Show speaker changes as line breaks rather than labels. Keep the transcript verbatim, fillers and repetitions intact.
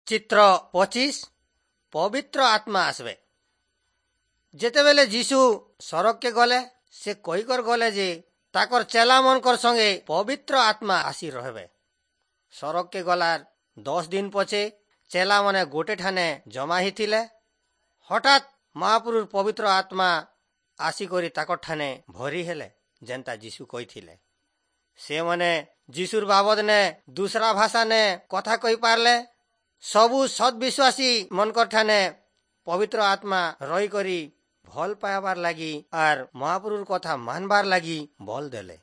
ଚିତ୍ର ପଚିଶ ପବିତ୍ର ଆତ୍ମା আসবে। ଯେତେବେଲେ ଯୀଶୁ ସରଗକେ ଗଲେ, ସେ କହିକର ଗଲେ ଯେ ତାକର ଚେଲାମନକର ସଙ୍ଗେ ପବିତ୍ର ଆତ୍ମା ଆସି ରହବେ। ସରଗକେ ଗଲାର ଦଶ ଦିନ ପଛେ ଚେଲାମାନେ ଗୋଟେ ଠାନେ ଜମା ହେଇଥିଲେ। ହଠାତ୍ ମହାପୁରୁର ପବିତ୍ର ଆତ୍ମା ଆସିକରି ତାକର ଠାନେ ଭରି ହେଲେ, ଯେନ୍ତା ଯୀଶୁ କହିଥିଲେ। ସେମାନେ ଯୀଶୁର ବାବଦନେ ଦୁସରା ଭାଷାନେ କଥା କହିପାରିଲେ। ସବୁ ସତ୍ ବିଶ୍ୱାସୀ ମନକର ଠାନେ ପବିତ୍ର ଆତ୍ମା ରହିକରି ଭଲ ପାଇବାର ଲାଗି ଆର୍ ମହାପୁରୁର କଥା ମାନବାର ଲାଗି ବଲ ଦେଲେ।